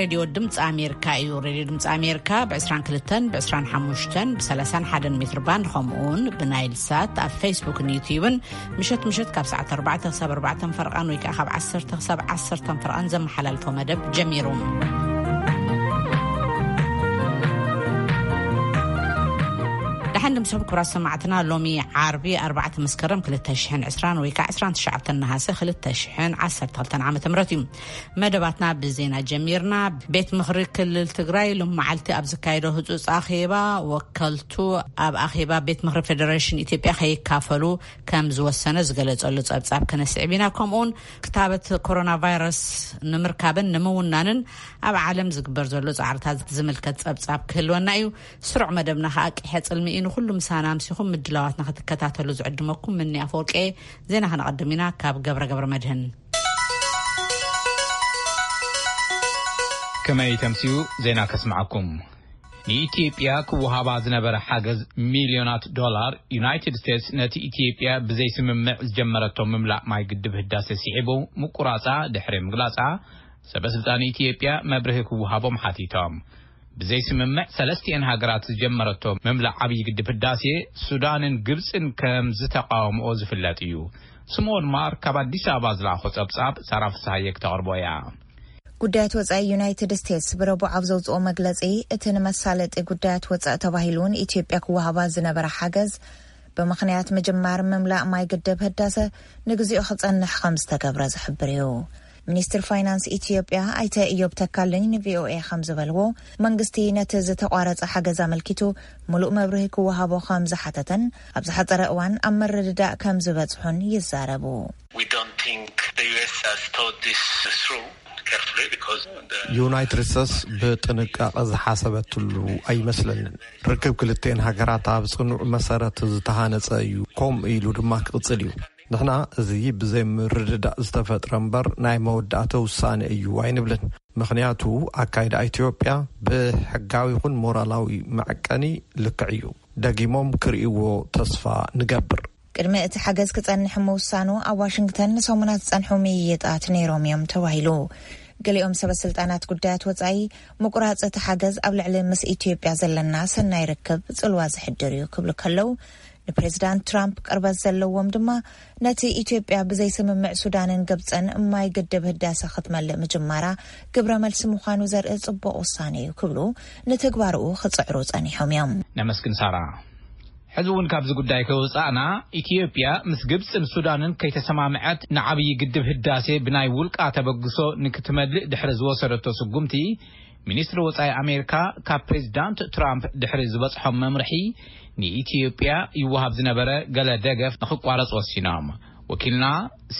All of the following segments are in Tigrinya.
ሬድዮ ድምፂ ኣሜሪካ እዩ። ሬድዮ ድምፂ ኣሜሪካ ብ22፣ ብ25፣ ብ31 ሜትር ባንድ፣ ከምኡውን ብናይል ሳት ኣብ ፌስቡክን ዩትዩብን ምሸት ምሸት ካብ ሰዓት ኣርባዕተ ክሳብ ኣርባዕተ ፈርቓን ወይ ከዓ ካብ ዓሰርተ ክሳብ ዓሰርተ ፈርቓን ዘመሓላልፎ መደብ ጀሚሩ። ደሓን ድምስኹም ክቡራት ሰማዕትና። ሎሚ ዓርቢ ኣርባዕተ መስከረም ክልተ ሽሕን ዕስራን ወይ ከዓ ዕስራን ትሽዓተን ነሃሰ ክልተ ሽሕን ዓሰርተ ክልተን ዓመተ ምህረት እዩ። መደባትና ብዜና ጀሚርና። ቤት ምኽሪ ክልል ትግራይ ሎም መዓልቲ ኣብ ዝካየዶ ህፁፅ ኣኼባ፣ ወከልቱ ኣብ ኣኼባ ቤት ምኽሪ ፌደሬሽን ኢትዮጵያ ከይካፈሉ ከም ዝወሰነ ዝገለጸሉ ጸብጻብ ክነስዕብ ኢና። ከምኡውን ክታበት ኮሮና ቫይረስ ንምርካብን ንምውናንን ኣብ ዓለም ዝግበር ዘሎ ጻዕርታት ዝምልከት ጸብጻብ ክህልወና እዩ። ስሩዕ መደብና ከኣ ቂሐ ጽልሚ እዩ። ንኹሉ ምሳና ኣምሲኹም ምድላዋትና ክትከታተሉ ዝዕድመኩም ምኒ ኣፈወርቂ። ዜና ከነቐድም ኢና ካብ ገብረ ገብረ መድህን። ከመይ ተምስዩ ዜና ከስምዓኩም። ንኢትዮጵያ ክወሃባ ዝነበረ ሓገዝ ሚልዮናት ዶላር፣ ዩናይትድ ስቴትስ ነቲ ኢትዮጵያ ብዘይስምምዕ ዝጀመረቶ ምምላእ ማይ ግድብ ህዳሴ ስዒቡ ምቁራጻ ድሕሪ ምግላጻ፣ ሰበ ስልጣን ኢትዮጵያ መብርሂ ክወሃቦም ሓቲቶም። ብዘይስምምዕ ሰለስቲኤን ሃገራት ዝጀመረቶ ምምላእ ዓብዪ ግድብ ህዳሴ፣ ሱዳንን ግብፅን ከም ዝተቃወምኦ ዝፍለጥ እዩ። ስምኦን ማር ካብ ኣዲስ ኣበባ ዝለኣኾ ጸብጻብ ሳራ ፍስሃየ ክተቕርቦ እያ። ጉዳያት ወጻኢ ዩናይትድ ስቴትስ ብረቡዕ ኣብ ዘውጽኦ መግለጺ፣ እቲ ንመሳለጢ ጉዳያት ወጻኢ ተባሂሉ ንኢትዮጵያ ክወሃባ ዝነበረ ሓገዝ፣ ብምኽንያት ምጅማር ምምላእ ማይ ግድብ ህዳሰ ንግዚኡ ክጸንሕ ከም ዝተገብረ ዝሕብር እዩ። ሚኒስትር ፋይናንስ ኢትዮጵያ ኣይተ እዮብ ተካልኝ ንቪኦኤ ከም ዝበልዎ፣ መንግስቲ ነቲ ዝተቋረጸ ሓገዝ ኣመልኪቱ ምሉእ መብርሂ ክወሃቦ ከም ዝሓተተን ኣብ ዝሓጸረ እዋን ኣብ ምርድዳእ ከም ዝበጽሑን ይዛረቡ። We don't think the U S has thought this through carefully because the ዩናይትድ ስቴትስ ብጥንቃቐ ዝሓሰበትሉ ኣይመስለንን። ርክብ ክልተን ሃገራት ኣብ ጽኑዕ መሰረት ዝተሃነጸ እዩ፣ ከምኡ ኢሉ ድማ ክቕጽል እዩ። ንሕና እዚ ብዘይ ምርድዳእ ዝተፈጥረ እምበር ናይ መወዳእታ ውሳነ እዩ ኣይንብልን። ምኽንያቱ ኣካይዳ ኢትዮጵያ ብሕጋዊ ይኹን ሞራላዊ መዐቀኒ ልክዕ እዩ። ደጊሞም ክርእይዎ ተስፋ ንገብር። ቅድሚ እቲ ሓገዝ ክጸንሕ ምውሳኑ ኣብ ዋሽንግተን ንሰሙናት ዝጸንሑ ምይይጣት ነይሮም እዮም ተባሂሉ። ገሊኦም ሰበ ስልጣናት ጉዳያት ወጻኢ፣ ምቁራጽ እቲ ሓገዝ ኣብ ልዕሊ ምስ ኢትዮጵያ ዘለና ሰናይ ርክብ ጽልዋ ዝሕድር እዩ ክብሉ ከለዉ፣ ንፕሬዚዳንት ትራምፕ ቅርበት ዘለዎም ድማ ነቲ ኢትዮጵያ ብዘይስምምዕ ሱዳንን ግብጽን ማይ ግድብ ህዳሰ ክትመልእ ምጅማራ ግብረ መልሲ ምዃኑ ዘርኢ ጽቡቕ ውሳነ እዩ ክብሉ ንትግባርኡ ክጽዕሩ ጸኒሖም እዮም። ነመስግን ሳራ። ሕዚ እውን ካብዚ ጉዳይ ከይወጻእና፣ ኢትዮጵያ ምስ ግብጽን ሱዳንን ከይተሰማምዐት ንዓብዪ ግድብ ህዳሴ ብናይ ውልቃ ተበግሶ ንክትመልእ ድሕሪ ዝወሰደቶ ስጉምቲ፣ ሚኒስትሪ ወጻኢ ኣሜሪካ ካብ ፕሬዚዳንት ትራምፕ ድሕሪ ዝበጽሖም መምርሒ፣ ንኢትዮጵያ ይወሃብ ዝነበረ ገለ ደገፍ ንክቋረጽ ወሲኖም። ወኪልና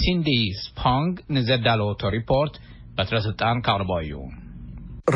ሲንዲ ስፖንግ ንዘዳለወቶ ሪፖርት በትረ ስልጣን ካቕርቦ እዩ።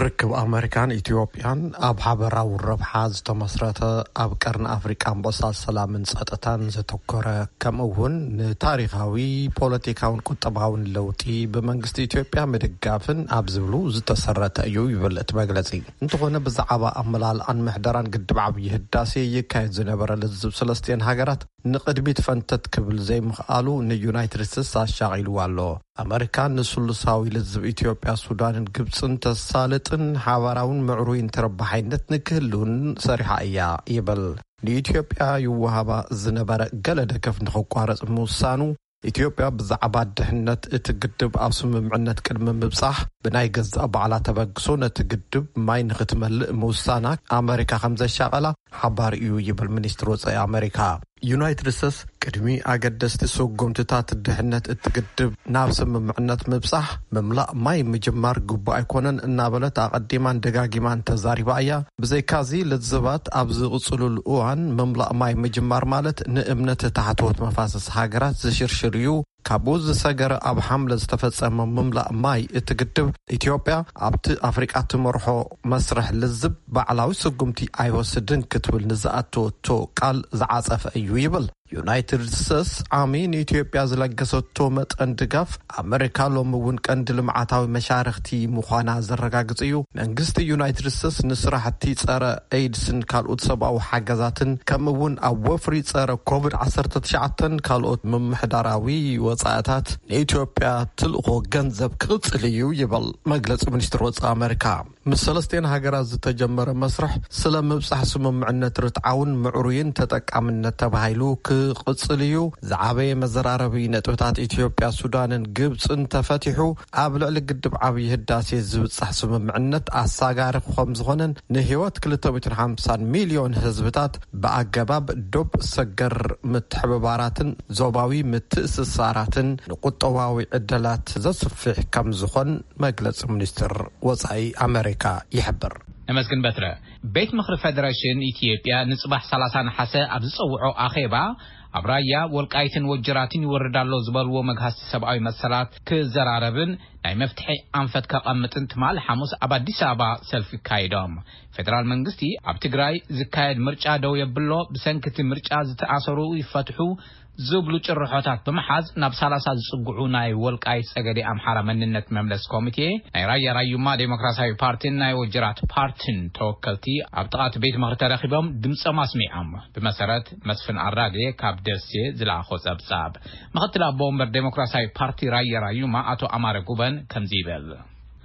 ርክብ ኣመሪካን ኢትዮጵያን ኣብ ሓበራዊ ረብሓ ዝተመስረተ፣ ኣብ ቀርኒ ኣፍሪቃን ቦሳት ሰላምን ጸጥታን ዘተኮረ፣ ከምኡ እውን ንታሪኻዊ ፖለቲካውን ቁጠባውን ለውጢ ብመንግስቲ ኢትዮጵያ ምድጋፍን ኣብ ዝብሉ ዝተሰረተ እዩ ይብል እቲ መግለጺ። እንተኾነ ብዛዕባ ኣመላልኣን ምሕደራን ግድብ ዓብዪ ህዳሴ ይካየድ ዝነበረ ልዝብ ሰለስቲኤን ሃገራት ንቕድሚት ፈንተት ክብል ዘይምኽኣሉ ንዩናይትድ ስቴትስ ኣሻቒልዋ ኣሎ። ኣመሪካ ንስሉሳዊ ልዝብ ኢትዮጵያ፣ ሱዳንን ግብጽን ተሳልጥን ሓባራውን ምዕሩይን ተረባሓይነት ንክህልውን ሰሪሓ እያ ይብል። ንኢትዮጵያ ይወሃባ ዝነበረ ገለ ደገፍ ንኽቋረጽ ምውሳኑ፣ ኢትዮጵያ ብዛዕባ ድሕነት እቲ ግድብ ኣብ ስምምዕነት ቅድሚ ምብጻሕ ብናይ ገዛእ ባዕላ ተበግሶ ነቲ ግድብ ማይ ንኽትመልእ ምውሳና ኣመሪካ ከም ዘሻቐላ ሓባሪ እዩ ይብል ሚኒስትሪ ወጻኢ ኣመሪካ። ዩናይትድ ስቴትስ ቅድሚ ኣገደስቲ ስጉምትታት ድሕነት እቲ ግድብ ናብ ስምምዕነት ምብጻሕ፣ ምምላእ ማይ ምጅማር ግቡእ ኣይኮነን እናበለት ኣቐዲማን ደጋጊማን ተዛሪባ እያ። ብዘይካዚ ልዝባት ኣብ ዝቕጽሉሉ እዋን ምምላእ ማይ ምጅማር ማለት ንእምነት ታሕተዎት መፋሰስ ሃገራት ዝሽርሽር እዩ። ካብኡ ዝሰገረ ኣብ ሓምለ ዝተፈጸመ ምምላእ ማይ እቲ ግድብ ኢትዮጵያ ኣብቲ ኣፍሪቃ ትመርሖ መስርሕ ልዝብ ባዕላዊ ስጉምቲ ኣይወስድን ክትብል ንዝኣተወቶ ቃል ዝዓጸፈ እዩ ይብል። ዩናይትድ ስቴትስ ዓሚ ንኢትዮጵያ ዝለገሰቶ መጠን ድጋፍ ኣመሪካ ሎሚ እውን ቀንዲ ልምዓታዊ መሻርክቲ ምዃና ዘረጋግጽ እዩ። መንግስቲ ዩናይትድ ስቴትስ ንስራሕቲ ጸረ ኤድስን ካልኦት ሰብኣዊ ሓገዛትን ከምኡ እውን ኣብ ወፍሪ ጸረ ኮቪድ ዓሰርተ ትሽዓተን ካልኦት ምምሕዳራዊ ወጻእታት ንኢትዮጵያ ትልእኾ ገንዘብ ክቕጽል እዩ ይብል መግለጺ ሚኒስትር ወጻኢ ኣመሪካ። ምስ ሰለስቲኤን ሃገራት ዝተጀመረ መስርሕ ስለ ምብጻሕ ስምምዕነት ርትዓውን ምዕሩይን ተጠቃምነት ተባሂሉ ክቕጽል እዩ። ዝዓበየ መዘራረቢ ነጥብታት ኢትዮጵያ፣ ሱዳንን ግብጽን ተፈቲሑ ኣብ ልዕሊ ግድብ ዓብዪ ህዳሴ ዝብጻሕ ስምምዕነት ኣሳጋሪ ከም ዝኾነን ንህይወት ክልተ ሚእትን ሓምሳን ሚልዮን ህዝብታት ብኣገባብ ዶብ ሰገር ምትሕብባራትን ዞባዊ ምትእስሳራትን ንቁጠባዊ ዕድላት ዘስፍሕ ከም ዝኾን መግለጺ ሚኒስትር ወጻኢ ኣመሪካ ይሕብር። ነመስግን በትረ። ቤት ምኽሪ ፌደሬሽን ኢትዮጵያ ንጽባሕ ሰላሳ ነሓሰ ኣብ ዝጸውዖ ኣኼባ ኣብ ራያ ወልቃይትን ወጀራትን ይወርድ ኣሎ ዝበልዎ መግሃስቲ ሰብኣዊ መሰላት ክዘራረብን ናይ መፍትሒ ኣንፈት ከቐምጥን ትማሊ ሓሙስ ኣብ ኣዲስ ኣበባ ሰልፊ ካይዶም። ፌደራል መንግስቲ ኣብ ትግራይ ዝካየድ ምርጫ ደው የብሎ፣ ብሰንኪ እቲ ምርጫ ዝተኣሰሩ ይፈትሑ ዝብሉ ጭርሖታት ብምሓዝ ናብ ሰላሳ ዝጽግዑ ናይ ወልቃይት ጸገዴ ኣምሓራ መንነት መምለስ ኮሚቴ፣ ናይ ራያ ራዩማ ዴሞክራሲያዊ ፓርቲን ናይ ወጀራት ፓርቲን ተወከልቲ ኣብ ጥቓ እቲ ቤት ምኽሪ ተረኺቦም ድምጾም ኣስሚዖም። ብመሰረት መስፍን ኣራጌ ካብ ደሴ ዝለኣኾ ጸብጻብ፣ ምኽትል ኣቦ ወንበር ዴሞክራሲያዊ ፓርቲ ራያ ራዩማ ኣቶ ኣማረ ጉበን ከምዚ ይብል።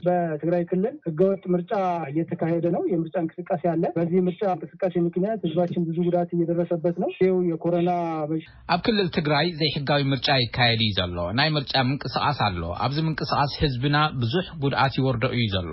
በትግራይ ክልል ህገወጥ ምርጫ እየተካሄደ ነው። የምርጫ እንቅስቃሴ አለ። በዚህ ምርጫ እንቅስቃሴ ምክንያት ህዝባችን ብዙ ጉዳት እየደረሰበት ነው። ይኸው የኮሮና በሽ- ኣብ ክልል ትግራይ ዘይሕጋዊ ምርጫ ይካየድ እዩ ዘሎ። ናይ ምርጫ ምንቅስቃስ ኣሎ። ኣብዚ ምንቅስቃስ ህዝብና ብዙሕ ጉድኣት ይወርዶ እዩ ዘሎ።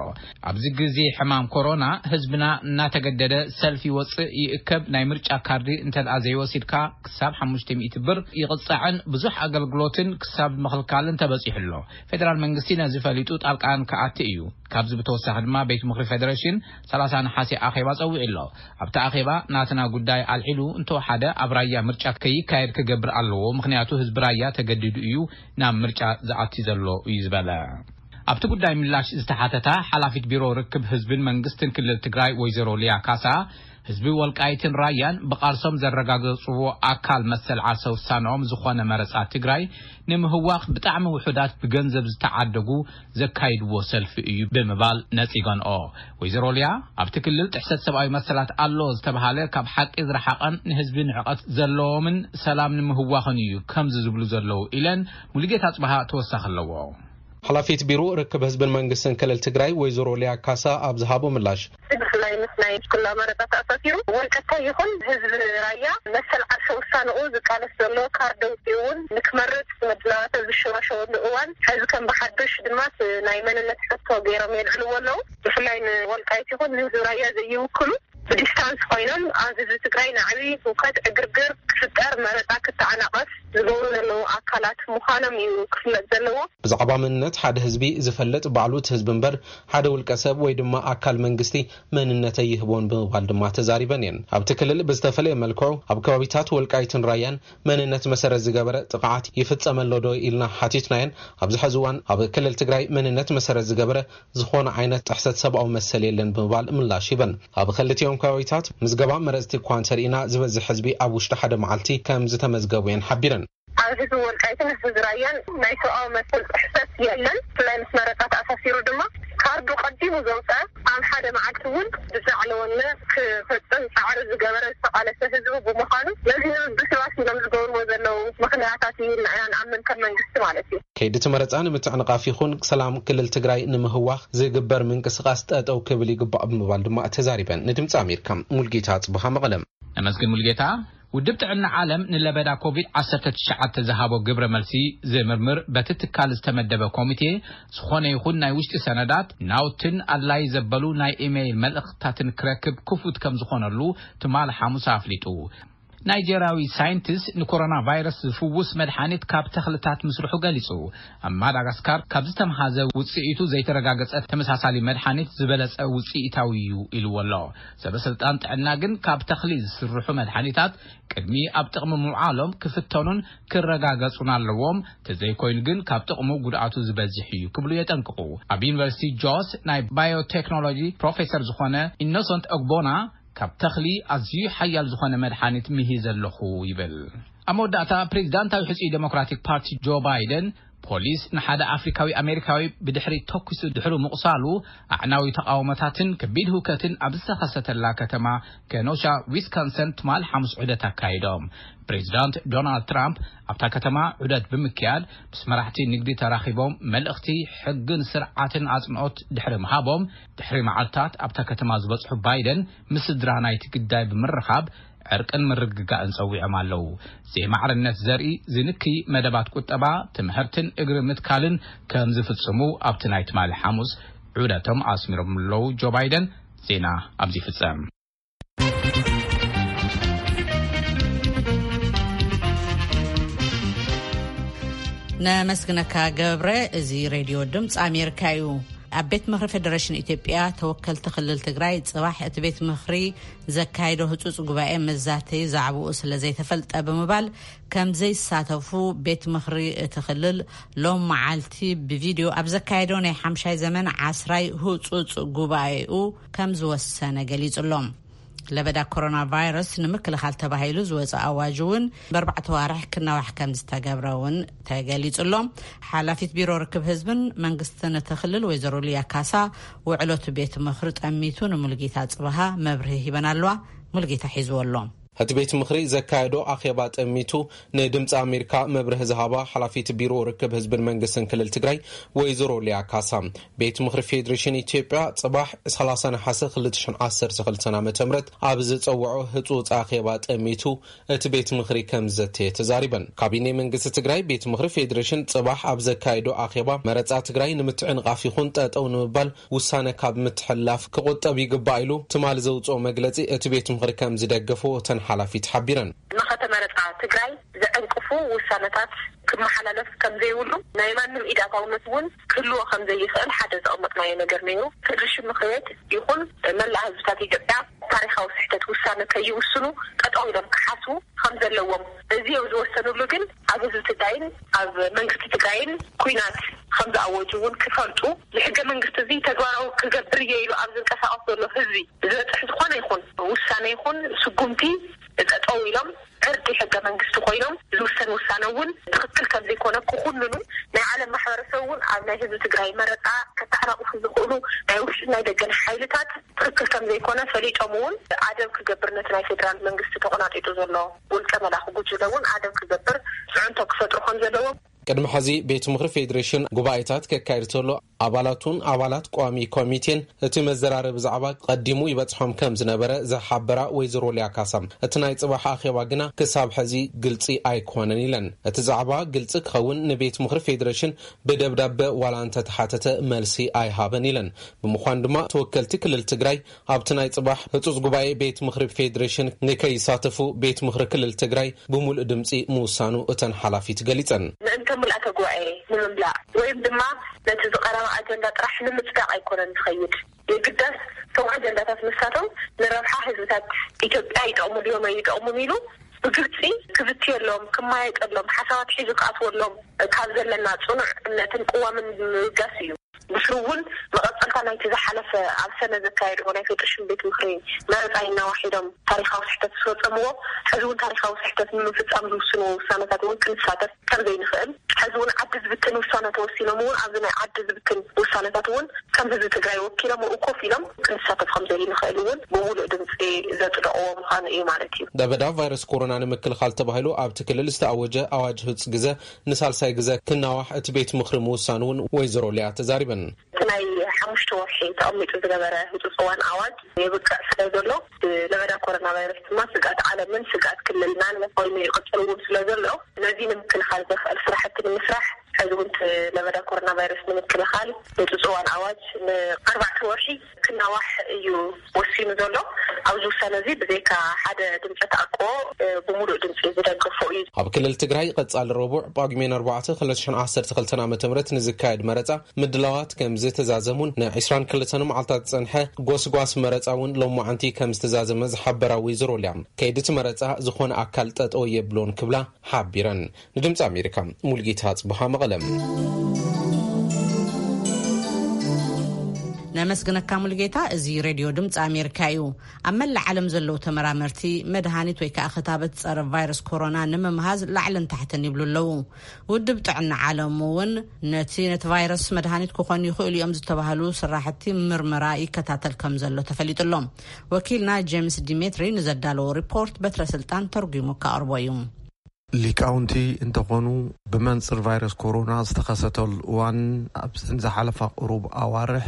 ኣብዚ ግዜ ሕማም ኮሮና ህዝብና እናተገደደ ሰልፊ ይወፅእ ይእከብ። ናይ ምርጫ ካርዲ እንተደኣ ዘይወሲድካ ክሳብ ሓሙሽተ ሚእቲ ብር ይቕፃዕን ብዙሕ ኣገልግሎትን ክሳብ ምኽልካልን ተበፂሑ ኣሎ። ፌደራል መንግስቲ ነዚ ፈሊጡ ጣልቃን ክኣቲ እዩ። ካብዚ ብተወሳኺ ድማ ቤት ምኽሪ ፌደሬሽን ሰላሳ ነሓሴ ኣኼባ ጸዊዑ ኣሎ። ኣብቲ ኣኼባ ናትና ጉዳይ ኣልዒሉ እንተወሓደ ኣብ ራያ ምርጫ ከይካየድ ክገብር ኣለዎ፣ ምኽንያቱ ህዝቢ ራያ ተገዲዱ እዩ ናብ ምርጫ ዝኣቲ ዘሎ እዩ ዝበለ። ኣብቲ ጉዳይ ምላሽ ዝተሓተታ ሓላፊት ቢሮ ርክብ ህዝብን መንግስትን ክልል ትግራይ ወይዘሮ ሊያ ካሳ፣ ህዝቢ ወልቃይትን ራያን ብቃልሶም ዘረጋገጽዎ ኣካል መሰል ዓርሰ ውሳነኦም ዝኾነ መረጻ ትግራይ ንምህዋኽ ብጣዕሚ ውሑዳት ብገንዘብ ዝተዓደጉ ዘካይድዎ ሰልፊ እዩ ብምባል ነጺገንኦ። ወይዘሮ ሊያ ኣብቲ ክልል ጥሕሰት ሰብኣዊ መሰላት ኣሎ ዝተባሃለ ካብ ሓቂ ዝረሓቐን ንህዝቢ ንዕቐት ዘለዎምን ሰላም ንምህዋኽን እዩ ከምዚ ዝብሉ ዘለዉ ኢለን። ሙሉጌታ ጽባሃ ተወሳኺ ኣለዎ። ሓላፊት ቢሮ ርክብ ህዝብን መንግስትን ክልል ትግራይ ወይዘሮ ሊያ ካሳ ኣብ ዝሃቦ ምላሽ፣ ብፍላይ ምስ ናይ ኩላ መረፃ ተኣሳሲሩ ወልቀታይ ይኹን ህዝቢ ራያ መሰል ዓርሰ ውሳንኡ ዝቃለስ ዘሎ ካርድ ኣውፂኡ እውን ንክመርፅ ምድላዋት ኣብ ዝሸዋሸወሉ እዋን፣ ሕዚ ከም ብሓዱሽ ድማ ናይ መንነት ሕቶ ገይሮም የልዕልዎ ኣለዉ። ብፍላይ ንወልቃይት ይኹን ንህዝቢ ራያ ዘይውክሉ ብዲስታንስ ኮይኖም ኣብ ህዝቢ ትግራይ ናዕቢ ህውከት ዕግርግር ክፍጠር መረፃ ክተዓናቐፍ ዝገብሩ ዘለዉ ኣካላት ምዃኖም እዩ ክፍለጥ ዘለዎ። ብዛዕባ መንነት ሓደ ህዝቢ ዝፈልጥ ባዕሉ እቲ ህዝቢ እምበር ሓደ ውልቀ ሰብ ወይ ድማ ኣካል መንግስቲ መንነተይ ይህቦን ብምባል ድማ ተዛሪበን እየን። ኣብቲ ክልል ብዝተፈለየ መልክዑ ኣብ ከባቢታት ወልቃይትን ራያን መንነት መሰረት ዝገበረ ጥቕዓት ይፍጸመ ኣሎ ዶ ኢልና ሓቲትናየን። ኣብዚ ሕዚ እዋን ኣብ ክልል ትግራይ መንነት መሰረት ዝገበረ ዝኾነ ዓይነት ጥሕሰት ሰብኣዊ መሰል የለን ብምባል ምላሽ ሂበን። ኣብ ክልቲኦም ከባቢታት ምዝገባ መረፅቲ እኳ እንተርኢና ዝበዝሕ ህዝቢ ኣብ ውሽጢ ሓደ መዓልቲ ከም ዝተመዝገቡ እየን ሓቢረን። ኣብ ህዝቢ ወልቃይትን ህዝቢ ራያን ናይ ሰብኣዊ መሰል ጥሕሰት የለን። ብፍላይ ምስ መረፃ ተኣሳሲሩ ድማ ካርዱ ቀዲሙ ዘውፀ ኣብ ሓደ መዓልቲ እውን ብዛዕለወነ ክፈፅም ፃዕሪ ዝገበረ ዝተቃለሰ ህዝቢ ብምዃኑ ነዚ ንምብስባስ ኢሎም ዝገብርዎ ዘለዉ ምኽንያታት እዩ ኢልና ኢና ንኣምን ከም መንግስቲ ማለት እዩ። ከይዲ እቲ መረፃ ንምትዕንቓፍ ይኹን ሰላም ክልል ትግራይ ንምህዋኽ ዝግበር ምንቅስቃስ ጠጠው ክብል ይግባእ ብምባል ድማ ተዛሪበን። ንድምፂ ኣሜሪካ ሙልጌታ ጽቡሃ መቐለም። ነመስግን ሙልጌታ። ውድብ ጥዕና ዓለም ንለበዳ ኮቪድ ዓሰርተ ትሽዓተ ዝሃቦ ግብረ መልሲ ዝምርምር በቲ ትካል ዝተመደበ ኮሚቴ ዝኾነ ይኹን ናይ ውሽጢ ሰነዳት ናውትን ኣድላይ ዘበሉ ናይ ኢሜይል መልእኽትታትን ክረክብ ክፉት ከም ዝኾነሉ ትማል ሓሙስ ኣፍሊጡ። ናይጀርያዊ ሳይንቲስት ንኮሮና ቫይረስ ዝፍውስ መድሓኒት ካብ ተኽልታት ምስርሑ ገሊጹ። ኣብ ማዳጋስካር ካብ ዝተምሃዘ ውጽኢቱ ዘይተረጋገጸ ተመሳሳሊ መድሓኒት ዝበለጸ ውጽኢታዊ እዩ ኢልዎ ኣሎ። ሰበ ስልጣን ጥዕና ግን ካብ ተኽሊ ዝስርሑ መድሓኒታት ቅድሚ ኣብ ጥቕሚ ምውዓሎም ክፍተኑን ክረጋገጹን ኣለዎም፣ ተዘይኮይኑ ግን ካብ ጥቕሙ ጉድኣቱ ዝበዝሕ እዩ ክብሉ የጠንቅቑ። ኣብ ዩኒቨርሲቲ ጆስ ናይ ባዮቴክኖሎጂ ፕሮፌሰር ዝኾነ ኢኖሰንት ኦግቦና ካብ ተኽሊ ኣዝዩ ሓያል ዝኾነ መድሓኒት ምሂዘ ኣለኹ ይብል። ኣብ መወዳእታ፣ ፕሬዚዳንታዊ ሕጹይ ዴሞክራቲክ ፓርቲ ጆ ባይደን፣ ፖሊስ ንሓደ ኣፍሪካዊ ኣሜሪካዊ ብድሕሪ ተኩሱ ድሕሪ ምቑሳሉ፣ ኣዕናዊ ተቓውሞታትን ከቢድ ህውከትን ኣብ ዝተኸሰተላ ከተማ ከኖሻ፣ ዊስካንሰን፣ ትማል ሓሙስ ዑደት ኣካይዶም። ፕሬዚዳንት ዶናልድ ትራምፕ ኣብታ ከተማ ዑደት ብምክያድ፣ ምስ መራሕቲ ንግዲ ተራኺቦም፣ መልእኽቲ ሕግን ስርዓትን ኣጽንኦት ድሕሪ ምሃቦም፣ ድሕሪ መዓልታት ኣብታ ከተማ ዝበጽሑ ባይደን፣ ምስ ስድራ ናይቲ ግዳይ ብምርኻብ፣ ዕርቅን ምርግጋእን ጸዊዖም ኣለዉ። ዘይማዕርነት ዘርኢ ዝንክይ መደባት ቁጠባ፣ ትምህርትን እግሪ ምትካልን ከም ዝፍጽሙ ኣብቲ ናይ ትማሊ ሓሙስ ዑደቶም ኣስሚሮም ኣለዉ። ጆ ባይደን። ዜና ኣብዚ ይፍጸም። ነመስግነካ ገብረ። እዚ ሬድዮ ድምፂ ኣሜሪካ እዩ። ኣብ ቤት ምኽሪ ፌደሬሽን ኢትዮጵያ ተወከልቲ ክልል ትግራይ ፅባሕ እቲ ቤት ምኽሪ ዘካየዶ ህፁፅ ጉባኤ መዛተዩ ዛዕባኡ ስለ ዘይተፈልጠ ብምባል ከም ዘይሳተፉ ቤት ምኽሪ እቲ ክልል ሎም መዓልቲ ብቪድዮ ኣብ ዘካየዶ ናይ ሓምሻይ ዘመን ዓስራይ ህፁፅ ጉባኤኡ ከም ዝወሰነ ገሊጹሎም። ለበዳ ኮሮና ቫይረስ ንምክልኻል ተባሂሉ ዝወፀ ኣዋጅ እውን ብኣርባዕተ ዋርሕ ክናዋሕ ከም ዝተገብረ እውን ተገሊጹሎም። ሓላፊት ቢሮ ርክብ ህዝብን መንግስትን እቲ ክልል ወይዘሮ ሊያ ካሳ ውዕሎቱ ቤት ምኽሪ ጠሚቱ ንሙልጌታ ጽበሃ መብርሂ ሂበን ኣለዋ። ሙልጌታ ሒዝዎ ኣሎ። እቲ ቤት ምኽሪ ዘካየዶ ኣኼባ ጠሚቱ ንድምፂ ኣሜሪካ መብርሂ ዝሃባ ሓላፊት ቢሮ ርክብ ህዝብን መንግስትን ክልል ትግራይ ወይዘሮ ሊያ ካሳ፣ ቤት ምኽሪ ፌዴሬሽን ኢትዮጵያ ጽባሕ ሰላሳ ነሓሰ ክልተ ሽሕን ዓሰርተ ክልተን ዓመተ ምህረት ኣብ ዝጸውዖ ህጹጽ ኣኼባ ጠሚቱ እቲ ቤት ምኽሪ ከም ዘተየ ተዛሪበን። ካቢኔ መንግስቲ ትግራይ ቤት ምኽሪ ፌዴሬሽን ጽባሕ ኣብ ዘካየዶ ኣኼባ መረጻ ትግራይ ንምትዕንቓፍ ይኹን ጠጠው ንምባል ውሳነ ካብ ምትሕልላፍ ክቑጠብ ይግባእ ኢሉ ትማል ዘውጽኦ መግለጺ እቲ ቤት ምኽሪ ከም ዝደገፎ እተን ሓላፊት ሓቢረን። መኸተ መረጻ ትግራይ ዘዕንቅፉ ውሳነታት ክመሓላለፍ ከም ዘይብሉ፣ ናይ ማንም ኢድ ኣእታውነት እውን ክህልዎ ከም ዘይኽእል ሓደ ዘቐመጥናዮ ነገር ነይሩ። ፌደሬሽን ምኽሪ ቤት ይኹን መላእ ህዝብታት ኢትዮጵያ ታሪኻዊ ስሕተት ውሳነ ከይውስኑ ጠጠው ኢሎም ክሓስቡ ከም ዘለዎም፣ እዚ እዮም ዝወሰኑሉ። ግን ኣብ ህዝቢ ትግራይን ኣብ መንግስቲ ትግራይን ኲናት ከም ዝኣወጁ እውን ክፈልጡ፣ ንሕገ መንግስቲ እዚ ተግባራዊ ክገብር እየ ኢሉ ኣብ ዝንቀሳቐስ ዘሎ ህዝቢ ዝበፅሕ ዝኾነ ይኹን ውሳነ ይኹን ስጉምቲ ጠጠው ኢሎም ዕርዲ ሕገ መንግስቲ ኮይኖም ዝውሰን ውሳነ እውን ትኽክል ከም ዘይኮነ ክኹንኑ፣ ናይ ዓለም ማሕበረሰብ እውን ኣብ ናይ ህዝቢ ትግራይ መረፃ ከተዓናቕፉ ዝኽእሉ ናይ ውሽጢ ናይ ደገን ሓይልታት ትኽክል ከም ዘይኮነ ፈሊጦም እውን ኣደብ ክገብር፣ ነቲ ናይ ፌዴራል መንግስቲ ተቆናጢጡ ዘሎ ውልቀ መላኺ ጉጅለ እውን ኣደብ ክገብር ፅዕንቶ ክፈጥሩ ከም ዘለዎም። ቅድሚ ሕዚ ቤት ምኽሪ ፌዴሬሽን ጉባኤታት ከካይድ ተሎ ኣባላቱን ኣባላት ቋሚ ኮሚቴን እቲ መዘራረቢ ዛዕባ ቀዲሙ ይበጽሖም ከም ዝነበረ ዝሓበራ ወይዘሮ ሊያ ካሳ፣ እቲ ናይ ጽባሕ ኣኼባ ግና ክሳብ ሕዚ ግልጺ ኣይኮነን ኢለን። እቲ ዛዕባ ግልጺ ክኸውን ንቤት ምኽሪ ፌዴሬሽን ብደብዳበ ዋላ እንተተሓተተ መልሲ ኣይሃበን ኢለን። ብምዃን ድማ ተወከልቲ ክልል ትግራይ ኣብቲ ናይ ጽባሕ ህጹጽ ጉባኤ ቤት ምኽሪ ፌዴሬሽን ንከይሳተፉ ቤት ምኽሪ ክልል ትግራይ ብምሉእ ድምጺ ምውሳኑ እተን ሓላፊት ገሊጸን። ምእንተ ምልኣተ ጉባኤ ንምምላእ ወይም ድማ ነቲ ዝቐረበ ኣጀንዳ ጥራሕ ንምጽዳቕ ኣይኮነን ዝኸይድ። የግዳስ እቶም ኣጀንዳታት ንሳቶም ንረብሓ ህዝብታት ኢትዮጵያ ይጠቕሙ ድዮም ኣይጠቕሙን ኢሉ ብግልጺ ክዝትየሎም፣ ክማየጠሎም፣ ሓሳባት ሒዙ ክኣትወሎም ካብ ዘለና ጽኑዕ እምነትን ቅዋምን ምብጋስ እዩ። ብስሩ እውን መቐጸልታ ናይቲ ዝሓለፈ ኣብ ሰነ ዘካየድዎ ናይ ፌዴሬሽን ቤት ምኽሪ መረፃ ይናዋሕ ኢሎም ታሪኻዊ ስሕተት ዝፈጸምዎ፣ ሕዚ እውን ታሪኻዊ ስሕተት ንምፍጻም ዝውስንዎ ውሳነታት እውን ክንሳተፍ ከም ዘይንኽእል፣ ሕዚ እውን ዓዲ ዝብትን ውሳነ ተወሲኖም እውን ኣብዚ ናይ ዓዲ ዝብትን ውሳነታት እውን ከም ህዝቢ ትግራይ ወኪሎም ኣብኡ ኮፍ ኢሎም ክንሳተፍ ከም ዘይንኽእል እውን ብምሉእ ድምፂ ዘጽደቕዎ ምዃኑ እዩ ማለት እዩ። ለበዳ ቫይረስ ኮሮና ንምክልኻል ተባሂሉ ኣብቲ ክልል ዝተኣወጀ ኣዋጅ ህጹጽ ግዘ ንሳልሳይ ግዘ ክናዋሕ እቲ ቤት ምኽሪ ምውሳኑ እውን ወይዘሮ ሊያ ተዛሪበን። እቲ ናይ ሓሙሽተ ወርሒ ተቐሚጡ ዝነበረ ህጹጽ እዋን ኣዋጅ የብቅዕ ስለ ዘሎ፣ ለበዳ ኮሮና ቫይረስ ድማ ስግኣት ዓለምን ስግኣት ክልልናን ኮይኑ ይቕጽል እውን ስለ ዘሎ፣ ነዚ ንምክልኻል ዘኽእል ስራሕቲ ንምስራሕ፣ ሕዚ እውን እቲ ለበዳ ኮሮና ቫይረስ ንምክልኻል ህጹጽ እዋን ኣዋጅ ንኣርባዕተ ወርሒ ክናዋሕ እዩ ወሲኑ ዘሎ። ኣብዚ ውሳነ እዚ ብዘይካ ሓደ ድምፂ ተኣቅቦ፣ እ፣ ብምሉእ ድምፂ ዝደገፎ እዩ። ኣብ ክልል ትግራይ ቀጻሊ ረቡዕ ጳጉሜን ኣርባዕተ ክልተ ሽሕን ዓሰርተ ክልተን ዓመተ ምህረት ንዝካየድ መረጻ ምድላዋት ከም ዝተዛዘሙን ንዕስራን ክልተን መዓልታት ዝጸንሐ ጎስጓስ መረጻ እውን ሎማዓንቲ ከም ዝተዛዘመ ዝሓበራ ወይዘሮ ሊያ፣ ከይዲ እቲ መረጻ ዝኾነ ኣካል ጠጠው የብሎን ክብላ ሓቢረን። ንድምፂ ኣሜሪካ ሙልጌታ ጽቡሃ መቐለም። ነመስግነካ ሙሉጌታ። እዚ ሬድዮ ድምፂ ኣሜሪካ እዩ። ኣብ መላእ ዓለም ዘለዉ ተመራመርቲ መድሃኒት ወይ ከዓ ክታበት ፀረ ቫይረስ ኮሮና ንምምሃዝ ላዕልን ታሕትን ይብሉ ኣለዉ። ውድብ ጥዕና ዓለም እውን ነቲ ነቲ ቫይረስ መድሃኒት ክኾኑ ይኽእሉ እዮም ዝተባህሉ ስራሕቲ ምርመራ ይከታተል ከም ዘሎ ተፈሊጡ ኣሎ። ወኪልና ጄምስ ዲሜትሪ ንዘዳለዎ ሪፖርት በትረ ስልጣን ተርጒሙ ከቕርቦ እዩ። ሊቃውንቲ እንተኾኑ፣ ብመንፅር ቫይረስ ኮሮና ዝተኸሰተሉ እዋን ኣብዘን ዝሓለፋ ቁሩብ ኣዋርሕ